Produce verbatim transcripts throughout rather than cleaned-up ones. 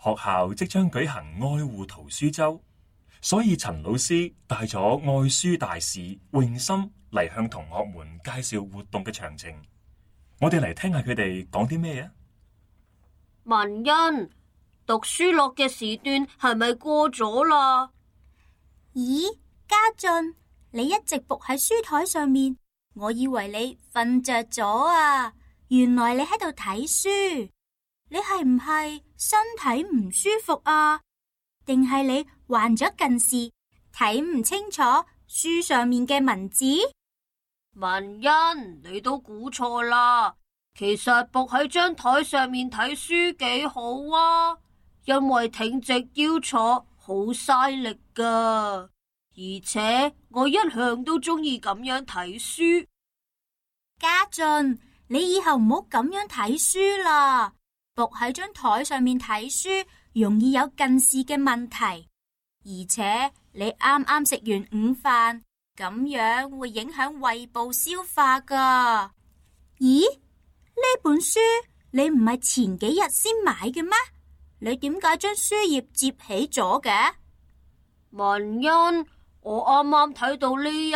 學校即將舉行愛護圖書周，所以陳老師帶咗愛書大使詠心嚟向同學們介紹活動嘅詳情。我哋嚟聽下佢哋講啲咩啊？文欣，讀書樂嘅時段係咪過咗啦？咦，家俊，你一直伏喺書台上面，我以為你瞓着咗啊，原來你喺度睇書。你係唔係身體唔舒服啊？定係你患咗近視，睇唔清楚書上面嘅文字？文欣，你都估錯啦。其實伏喺張台上面睇書幾好啊，因為挺直腰坐好嘥力噶，而且我一向都中意咁樣睇書。家俊，你以後唔好咁樣睇書啦。伏喺張台上面睇書，容易有近視嘅問題，而且你啱啱食完午飯，咁樣會影響胃部消化噶。咦？呢本書你唔係前幾日先買嘅咩？你點解將書頁摺起咗嘅？文欣，我啱啱睇到呢一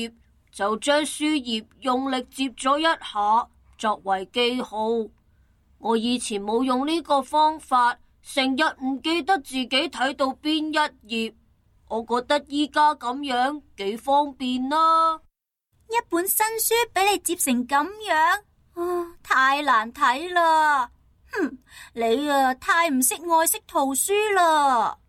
頁，就將書頁用力摺咗一下，作為記號。我以前冇用呢個方法，成日唔記得自己睇到邊一頁。我覺得依家咁樣幾方便啦。一本新書俾你摺成咁樣，啊，太難睇啦！哼，你啊太唔識愛惜圖書啦。